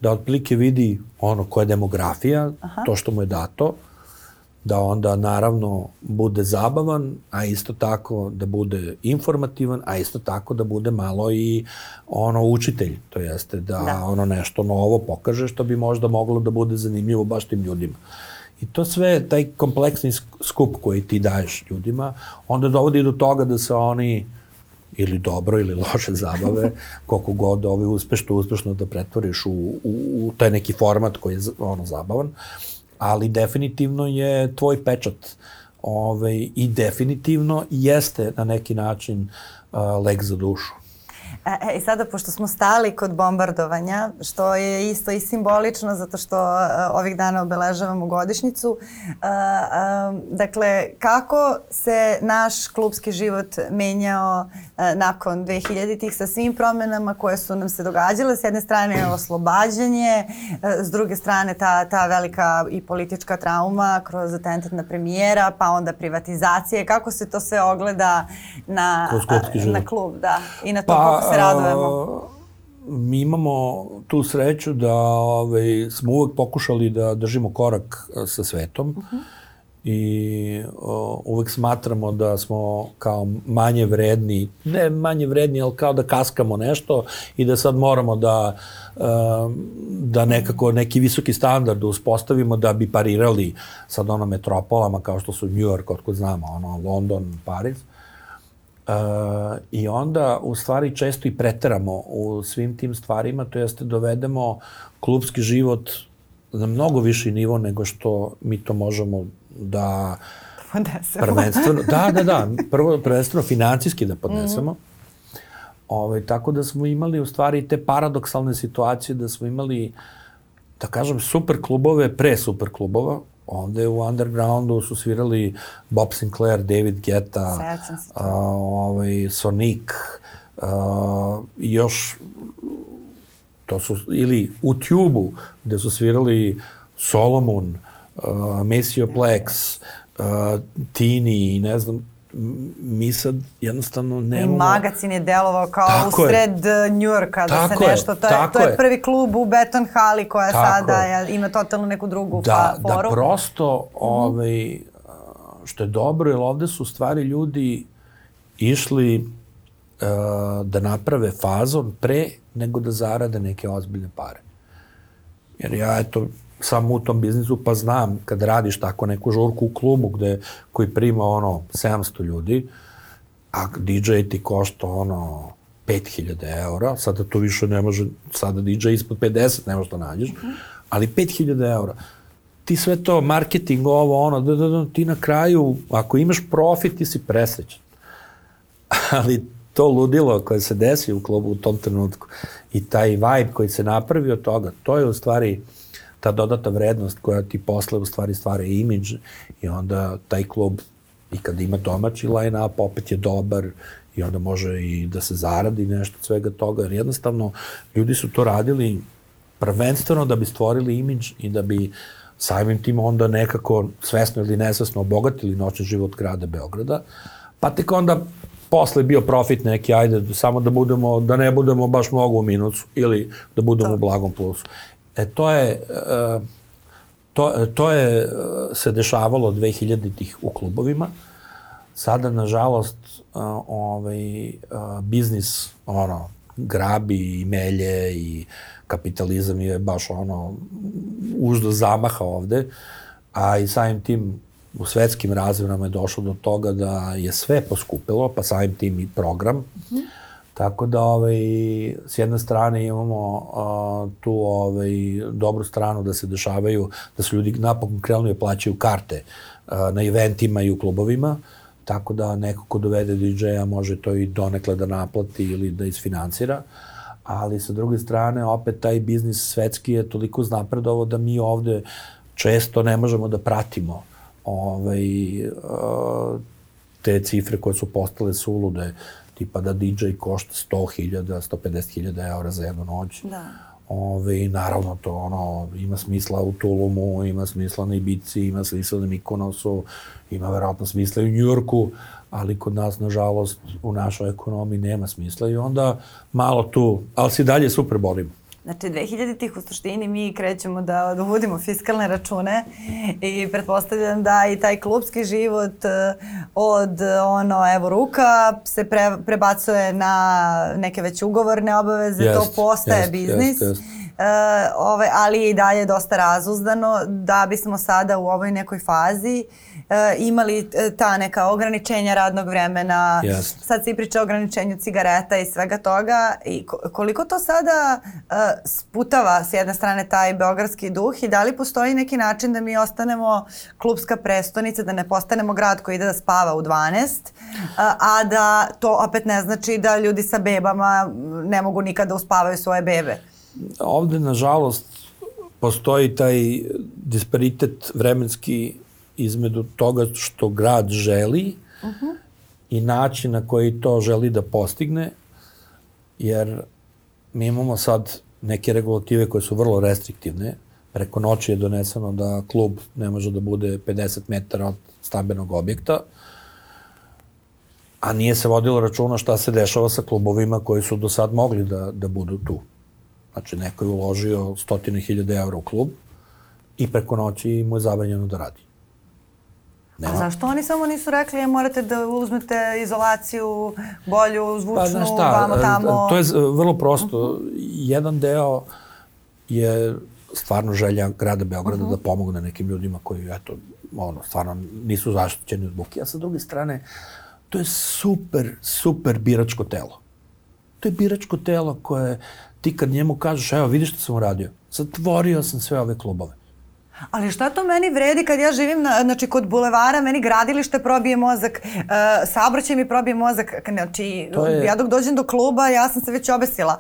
Speaker 1: da otprilike vidi ono koja je demografija, aha, to što mu je dato, da onda naravno bude zabavan, a isto tako da bude informativan, a isto tako da bude malo i ono učitelj, to jeste da, da. ono nešto novo pokaže što bi možda moglo da bude zanimljivo baš tim ljudima. I to sve, taj kompleksni skup koji ti daješ ljudima, onda dovodi do toga da se oni ili dobro ili loše zabave, koliko god ovaj uspešno, uspešno da pretvoriš u, u, u taj neki format koji je ono zabavan, ali definitivno je tvoj pečat ovaj, i definitivno jeste na neki način uh, lek za dušu.
Speaker 2: E, I sada, pošto smo stali kod bombardovanja, što je isto i simbolično, zato što uh, ovih dana obeležavamo godišnjicu, uh, uh, dakle, kako se naš klubski život menjao uh, nakon dve hiljaditih sa svim promenama koje su nam se događale? S jedne strane oslobađanje, uh, s druge strane ta, ta velika i politička trauma kroz atentat na premijera, pa onda privatizacije. Kako se to sve ogleda na, uh, na klub, da, i na to pa, kako se radujemo?
Speaker 1: Mi imamo tu sreću da ovaj, smo uvek pokušali da držimo korak sa svetom uh-huh. i o, uvek smatramo da smo kao manje vredni, ne manje vredni, ali kao da kaskamo nešto i da sad moramo da, da nekako neki visoki standard uspostavimo da bi parirali sad ono metropolama kao što su New York, otkud znamo, ono London, Pariz. Uh, I onda u stvari često i preteramo u svim tim stvarima, to jeste dovedemo klubski život na mnogo viši nivo nego što mi to možemo da
Speaker 2: podnesemo.
Speaker 1: Prvenstveno, da, da, da, prvo prvenstveno financijski da podnesemo. Mm-hmm. Ove, tako da smo imali u stvari te paradoksalne situacije da smo imali, da kažem, super klubove pre super klubova. Ovde u undergroundu su svirali Bob Sinclair, David Guetta, uh, ovaj, Sonic, uh, još to su, ili u Tube-u gde su svirali Solomon, uh, Maceo Plex, uh, Tini i ne znam, mi sad jednostavno nemamo...
Speaker 2: I Magazin je delovao kao tako usred je. Njujorka, da tako se nešto... To je, to je prvi klub u Beton Hali koja tako sada je. Ima totalno neku drugu
Speaker 1: da,
Speaker 2: foru.
Speaker 1: Da prosto, mm-hmm. ovaj, što je dobro, jer ovde su stvari ljudi išli uh, da naprave fazon pre nego da zarade neke ozbiljne pare. Jer ja, eto, sam u tom biznisu, pa znam, kad radiš tako neku žurku u klubu gde, koji prima ono sedamsto ljudi, a D J ti košta ono pet hiljada eura, sada to više ne može, sada D J ispod pedeset ne može da nađeš, mm-hmm. ali pet hiljada eura. Ti sve to, marketing, ovo, ono, da, da, da, ti na kraju, ako imaš profit, ti si presrećan. Ali to ludilo koje se desi u klubu u tom trenutku i taj vibe koji se napravi od toga, to je u stvari ta dodata vrednost koja ti posle u stvari stvara imidž i onda taj klub i kad ima domaći line-up opet je dobar i onda može i da se zaradi nešto od svega toga, jer jednostavno ljudi su to radili prvenstveno da bi stvorili imidž i da bi samim tim onda nekako svesno ili nesvesno obogatili noćni život grada Beograda, pa tek onda posle bio profit neki, ajde, samo da budemo, da ne budemo baš mnogo u minusu ili da budemo u blagom plusu. E, to je, to, to je se dešavalo dve hiljaditih u klubovima. Sada, nažalost, ovaj, biznis, ono, grabi i melje i kapitalizam je baš, ono, uždo zamaha ovde, a i samim tim u svetskim razvojima je došlo do toga da je sve poskupilo, pa samim tim i program. Mm-hmm. Tako da, ovaj, s jedne strane imamo uh, tu ovaj, dobru stranu da se dešavaju, da su ljudi napokon krenuli da plaćaju karte uh, na eventima i u klubovima, tako da neko ko dovede D J-a može to i donekle da naplati ili da isfinansira, ali sa druge strane opet taj biznis svetski je toliko znapredovo da mi ovde često ne možemo da pratimo ovaj, uh, te cifre koje su postale sulude, tipa da D J košta sto hiljada, sto pedeset hiljada eura za jednu noć.
Speaker 2: Da.
Speaker 1: Ove, naravno to ono, ima smisla u Tulumu, ima smisla na Ibici, ima smisla na Mikonosu, ima verovatno smisla i u Njujorku, ali kod nas, nažalost, u našoj ekonomiji nema smisla i onda malo tu, ali se dalje super borimo.
Speaker 2: Znači, dve hiljaditih u suštini mi krećemo da uvodimo fiskalne račune i pretpostavljam da i taj klubski život od ono, evo ruka se pre, prebacuje na neke već ugovorne obaveze, yes, to postaje yes, biznis. Yes, yes. Uh, ove, ali je i dalje dosta razuzdano da bismo sada u ovoj nekoj fazi imali ta neka ograničenja radnog vremena,
Speaker 1: yes.
Speaker 2: sad se i priča o ograničenju cigareta i svega toga. I koliko to sada uh, sputava s jedne strane taj beogradski duh i da li postoji neki način da mi ostanemo klupska prestonica, da ne postanemo grad koji ide da spava u dvanaest, uh, a da to opet ne znači da ljudi sa bebama ne mogu nikada da uspavaju svoje bebe?
Speaker 1: Ovde, nažalost, postoji taj disparitet vremenski između toga što grad želi uh-huh. i način na koji to želi da postigne, jer mi imamo sad neke regulative koje su vrlo restriktivne. Preko noći je doneseno da klub ne može da bude pedeset metara od stambenog objekta, a nije se vodilo računa šta se dešava sa klubovima koji su do sad mogli da, da budu tu. Znači, neko je uložio stotine hiljade evra u klub i preko noći mu je zabranjeno da radi. Nema.
Speaker 2: A zašto oni samo nisu rekli, morate da uzmete izolaciju, bolju, zvučnu,
Speaker 1: pa, znaš šta,
Speaker 2: vamo tamo?
Speaker 1: To je vrlo prosto. Uh-huh. Jedan deo je stvarno želja grada Beograda uh-huh. da pomogne nekim ljudima koji, eto, ono, stvarno nisu zaštićeni od buke. A sa druge strane, to je super, super biračko telo. To je biračko telo koje ti kad njemu kažeš, evo, vidiš što sam uradio, zatvorio sam sve ove klubove.
Speaker 2: Ali šta to meni vredi kad ja živim na, znači, kod bulevara, meni gradilište probije mozak, uh, saobraćaj mi probije mozak, znači je, ja dok dođem do kluba, ja sam se već obesila.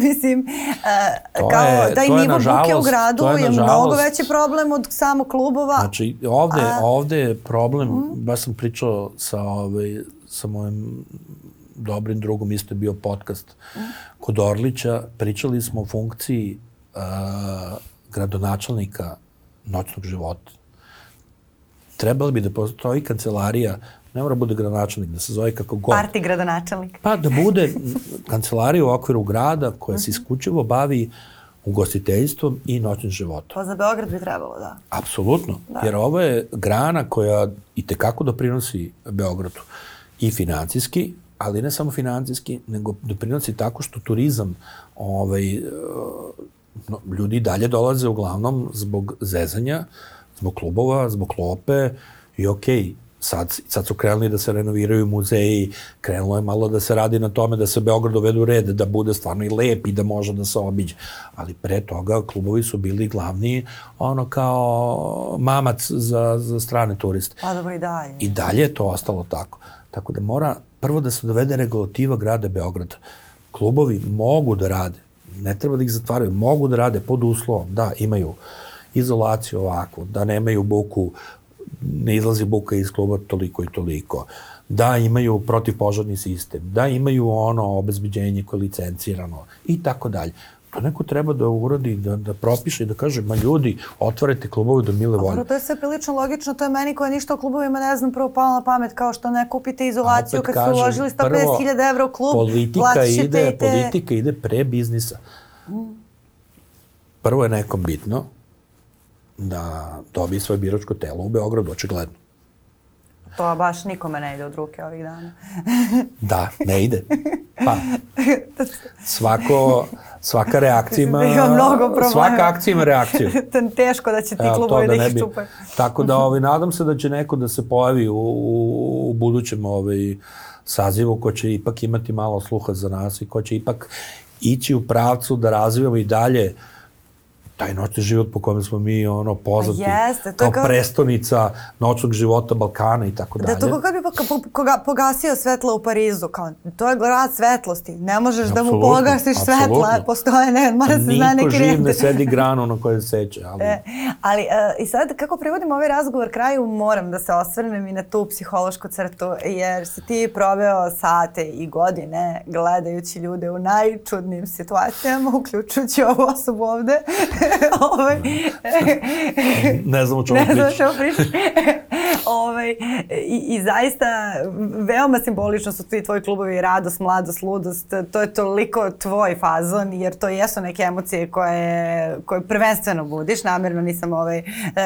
Speaker 2: Mislim, uh, kao
Speaker 1: je,
Speaker 2: taj nivo buke u gradu je, je mnogo veći problem od samog klubova.
Speaker 1: Znači, ovde, A, ovde je problem, mm. baš sam pričao sa, ovaj, sa mojim dobrim drugom, isto je bio podcast mm. kod Orlića, pričali smo o funkciji uh, gradonačelnika noćnog života. Trebalo bi da postoji kancelarija, ne mora bude gradonačelnik, da se zove kako god.
Speaker 2: Parti gradonačelnik.
Speaker 1: Pa da bude kancelarija u okviru grada koja se isključivo bavi ugostiteljstvom i noćnim životom.
Speaker 2: Pa za Beograd bi trebalo, da.
Speaker 1: Apsolutno, da. Jer ovo je grana koja itekako doprinosi Beogradu i financijski, ali ne samo financijski, nego doprinosi tako što turizam ovaj, no, ljudi dalje dolaze uglavnom zbog zezanja, zbog klubova, zbog klope i okej, okay, sad, sad su krenuli da se renoviraju muzeji, krenulo je malo da se radi na tome da se Beograd dovede u red, da bude stvarno i lep i da može da se obiđe. Ali pre toga klubovi su bili glavni ono kao mamac za, za strane turiste.
Speaker 2: Pa dobro i dalje.
Speaker 1: I dalje je to ostalo tako. Tako da mora prvo da se dovede regulativa grada Beograda. Klubovi mogu da rade, ne treba da ih zatvaraju, mogu da rade pod uslovom da imaju izolaciju ovako, da nemaju buku, ne izlazi buka iz kluba toliko i toliko, da imaju protivpožarni sistem, da imaju ono obezbeđenje koje je licencirano i tako dalje. To neko treba da uradi, da, da propiše i da kaže, ma ljudi, otvarajte klubove do mile volje.
Speaker 2: To je sve prilično logično, to je meni koja ništa o klubovima ne znam prvo palo na pamet, kao što ne kupite izolaciju kad kažem, su uložili sto pedeset hiljada evra u klub,
Speaker 1: politika ide,
Speaker 2: te...
Speaker 1: politika ide pre biznisa. Prvo je nekom bitno da dobije svoje biračko telo u Beogradu, očigledno.
Speaker 2: To baš nikome ne ide od ruke ovih dana.
Speaker 1: Da, ne ide. Pa, svako, svaka reakcija ima, svaka akcija ima reakciju.
Speaker 2: Teško da će ti klubovi da ih čupaju.
Speaker 1: Tako da ovaj, nadam se da će neko da se pojavi u, u, u budućem ovaj, sazivu ko će ipak imati malo sluha za nas i ko će ipak ići u pravcu da razvijamo i dalje taj noćni život po kojem smo mi ono poznati
Speaker 2: Jeste,
Speaker 1: kao,
Speaker 2: kao
Speaker 1: prestonica noćnog života Balkana i tako dalje.
Speaker 2: Da, to kako bi pogasio svetlo u Parizu, kao, to je grad svetlosti, ne možeš absolutno, da mu pogasiš svetla, postoje, ne, mora se zna neki
Speaker 1: Niko živ ne sedi granu na kojoj se seće. Ali,
Speaker 2: e, ali uh, i sad kako privodim ovaj razgovor kraju, moram da se osvrnem i na tu psihološku crtu, jer si ti proveo sate i godine gledajući ljude u najčudnijim situacijama, uključujući ovu osobu ovde. Ovaj,
Speaker 1: ne znam o čemu pričam.
Speaker 2: Ne znam o čemu pričam. ovaj, i, I zaista veoma simbolično su ti tvoji klubovi radost, mladost, ludost. To je toliko tvoj fazon, jer to jesu neke emocije koje, koje prvenstveno budiš. Namjerno nisam ovaj,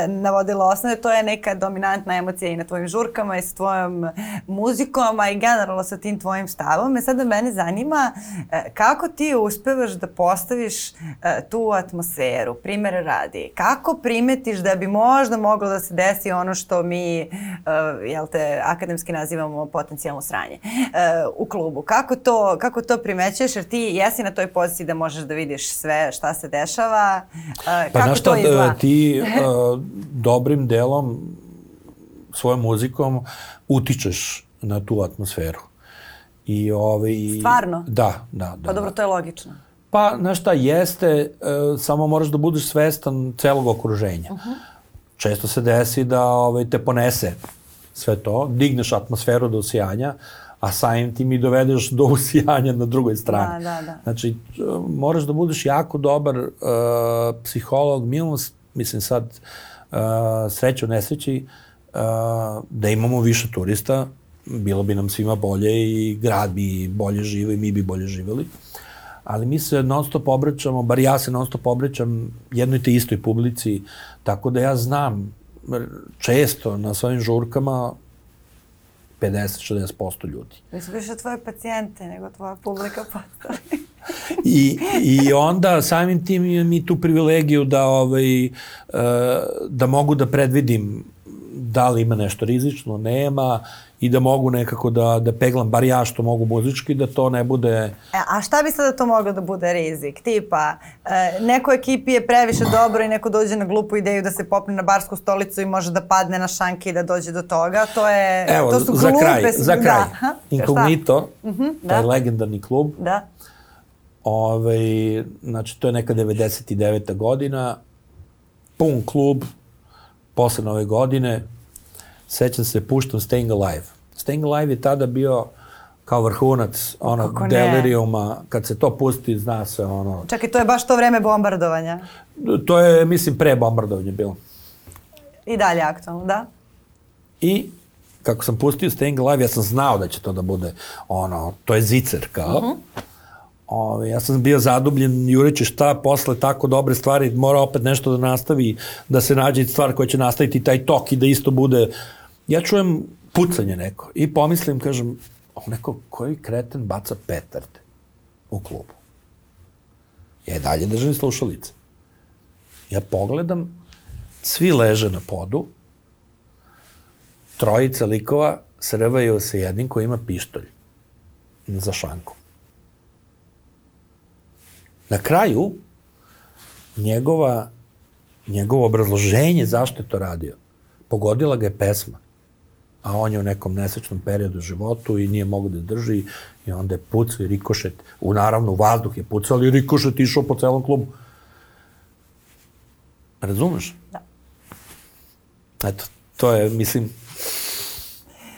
Speaker 2: navodila osnove. To je neka dominantna emocija i na tvojim žurkama i s tvojom muzikom, a i generalno sa tim tvojim stavom. E sada mene zanima kako ti uspevaš da postaviš tu atmosferu. Primjer radi, kako primetiš da bi možda moglo da se desi ono što mi uh, jel te, akademski nazivamo potencijalno sranje uh, u klubu. Kako to, kako to primećuješ, jer ti jesi na toj poziciji da možeš da vidiš sve šta se dešava, uh,
Speaker 1: pa
Speaker 2: kako
Speaker 1: šta,
Speaker 2: to izgleda?
Speaker 1: Ti uh, dobrim delom svojom muzikom utičeš na tu atmosferu. I ovaj,
Speaker 2: Stvarno?
Speaker 1: Da, da, da.
Speaker 2: Pa dobro, to je logično.
Speaker 1: Pa, znaš šta, jeste, uh, samo moraš da budeš svestan celog okruženja. Uh-huh. Često se desi da ovaj, te ponese sve to, digneš atmosferu do usijanja, a samim tim i dovedeš do usijanja na drugoj strani.
Speaker 2: Da, da, da.
Speaker 1: Znači, uh, moraš da budeš jako dobar uh, psiholog, minus, mislim sad, uh, sreće u nesreći, uh, da imamo više turista, bilo bi nam svima bolje i grad bi bolje živio i mi bi bolje živjeli. Ali mi se non stop obraćamo, bar ja se non stop obraćam jednoj te istoj publici, tako da ja znam često na svojim žurkama pedeset do šezdeset posto ljudi.
Speaker 2: Mi su više tvoje pacijente nego tvoja publika postali.
Speaker 1: I, I onda samim tim imam mi tu privilegiju da, ovaj, da mogu da predvidim da li ima nešto rizično, nema, i da mogu nekako da, da peglam, bar ja što mogu muzički, da to ne bude...
Speaker 2: E, a šta bi sada to moglo da bude rizik? Tipa, e, neko ekipi je previše dobro i neko dođe na glupu ideju da se popne na barsku stolicu i može da padne na šanke i da dođe do toga. To je...
Speaker 1: Evo,
Speaker 2: to su
Speaker 1: za
Speaker 2: glupe...
Speaker 1: kraj, za kraj.
Speaker 2: Da.
Speaker 1: Inkognito,
Speaker 2: uh-huh,
Speaker 1: taj
Speaker 2: da.
Speaker 1: legendarni klub.
Speaker 2: Da.
Speaker 1: Ove, znači, to je neka devedeset deveta godina, pun klub, posle nove godine, sećam se, puštam Staying Alive. Staying Alive je tada bio kao vrhunac onog deliriuma, kad se to pusti, zna se ono...
Speaker 2: Čekaj, to je baš to vreme bombardovanja?
Speaker 1: To je, mislim, pre bombardovanja bilo.
Speaker 2: I dalje aktualno, da?
Speaker 1: I kako sam pustio Staying Alive, ja sam znao da će to da bude ono, to je zicer kao. Uh-huh. Ove, ja sam bio zadubljen, jureći šta, posle tako dobre stvari, mora opet nešto da nastavi, da se nađe stvar koja će nastaviti taj tok i da isto bude... Ja čujem pucanje neko i pomislim, kažem, o neko, koji kreten baca petarde u klubu? Ja i dalje držim slušalice. Ja pogledam, svi leže na podu, trojica likova srvaju se jednim koji ima pištolj za šanku. Na kraju, njegova, njegovo obrazloženje zašto je to radio, pogodila ga je pesma, a on je u nekom nesečnom periodu u životu i nije mogo da drži i onda je pucao i rikošet, u naravno u vazduh je pucao, ali rikošet išao po celom klubu. Razumeš?
Speaker 2: Da.
Speaker 1: Eto, to je, mislim,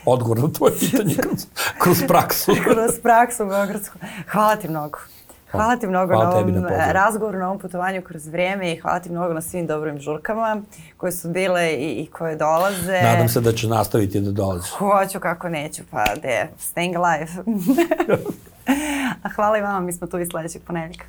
Speaker 1: odgovor na tvoje pitanje kroz, kroz praksu.
Speaker 2: Kroz praksu beogradsku. Hvala ti mnogo. Hvala ti mnogo hvala na ovom na razgovoru, na ovom putovanju kroz vrijeme i hvala ti mnogo na svim dobrim žurkama koje su bile i, i koje dolaze.
Speaker 1: Nadam se da će nastaviti da dolazi.
Speaker 2: Hoću, kako neću, pa de, staying alive. A hvala i vama, mi smo tu i sljedećeg ponedjeljka.